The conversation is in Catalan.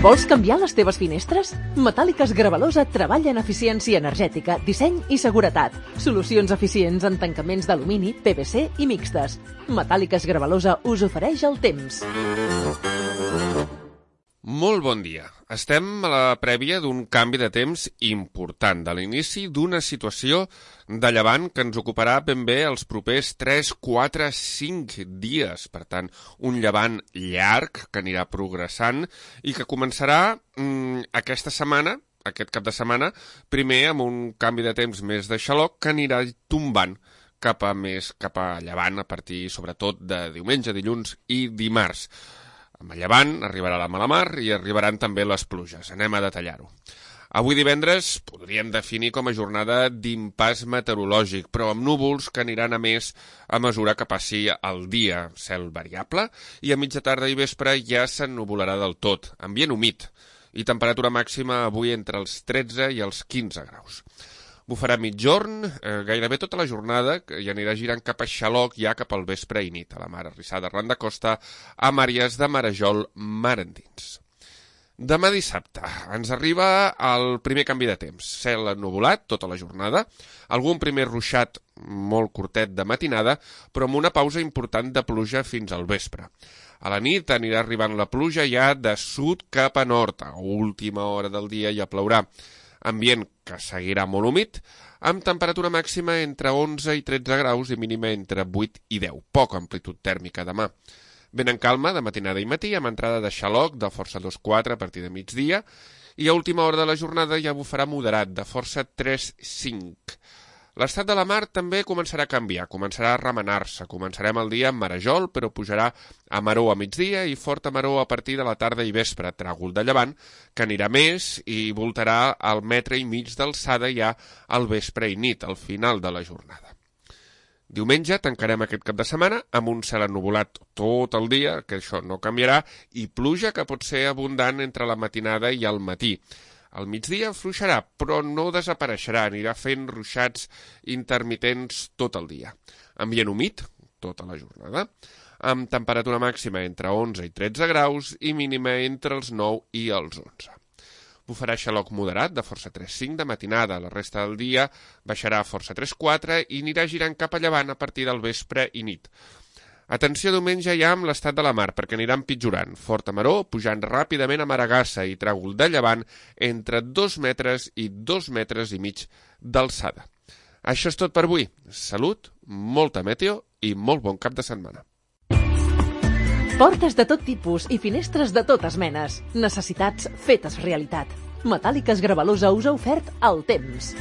Vols canviar les teves finestres? Metàl·liques Gravalosa treballa en eficiència energètica, disseny i seguretat. Solucions eficients en tancaments d'alumini, PVC i mixtes. Metàl·liques Gravalosa us ofereix el temps. Molt bon dia. Estem a la prèvia d'un canvi de temps important, de l'inici d'una situació de llevant que ens ocuparà ben bé els propers 3, 4, 5 dies. Per tant, un llevant llarg que anirà progressant i que començarà aquesta setmana, aquest cap de setmana, primer amb un canvi de temps més de xaloc que anirà tombant cap a llevant a partir, sobretot, de diumenge, dilluns i dimarts. Amb el llevant arribarà la mala mar i arribaran també les pluges. Anem a detallar-ho. Avui divendres podríem definir com a jornada d'impàs meteorològic, però amb núvols que aniran a més a mesura que passi el dia. Cel variable i a mitja tarda i vespre ja s'ennuvolarà del tot. Ambient humit i temperatura màxima avui entre els 13 i els 15 graus. Bufarà migjorn, gairebé tota la jornada, i anirà girant cap a xaloc ja cap al vespre i nit, a la mar arrissada arran de costa, a àrees de marejol mar endins. Demà dissabte ens arriba el primer canvi de temps. Cel ennuvolat tota la jornada, algun primer ruixat molt curtet de matinada, però amb una pausa important de pluja fins al vespre. A la nit anirà arribant la pluja ja de sud cap a nord, a última hora del dia ja plourà. Ambient que seguirà molt humit, amb temperatura màxima entre 11 i 13 graus i mínima entre 8 i 10. Poca amplitud tèrmica demà. Vent en calma de matinada i matí, amb entrada de xaloc de força 2-4 a partir de migdia, i a última hora de la jornada ja bufarà moderat, de força 3-5. L'estat de la mar també començarà a canviar, començarà a remenar-se. Començarem el dia amb marejol, però pujarà a maror a migdia i forta maror a partir de la tarda i vespre, tràgol de llevant, que anirà més i voltarà al metre i mig d'alçada ja al vespre i nit, al final de la jornada. Diumenge tancarem aquest cap de setmana amb un cel ennuvolat tot el dia, que això no canviarà, i pluja que pot ser abundant entre la matinada i el matí. Al migdia fluixarà, però no desapareixerà, anirà fent ruixats intermitents tot el dia. Ambient humit, tota la jornada, amb temperatura màxima entre 11 i 13 graus i mínima entre els 9 i els 11. Bufarà xaloc moderat de força 3-5 de matinada, la resta del dia baixarà a força 3-4 i anirà girant cap a llevant a partir del vespre i nit. Atenció diumenge ja amb l'estat de la mar, perquè anirà empitjorant. Forta maror, pujant ràpidament a maragassa i tràgol de llevant entre 2 metres i 2 metres i mig d'alçada. Això és tot per avui. Salut, molta meteo i molt bon cap de setmana. Portes de tot tipus i finestres de totes menes. Necessitats fetes realitat. Metàl·liques Gravalosa us ha ofert el temps.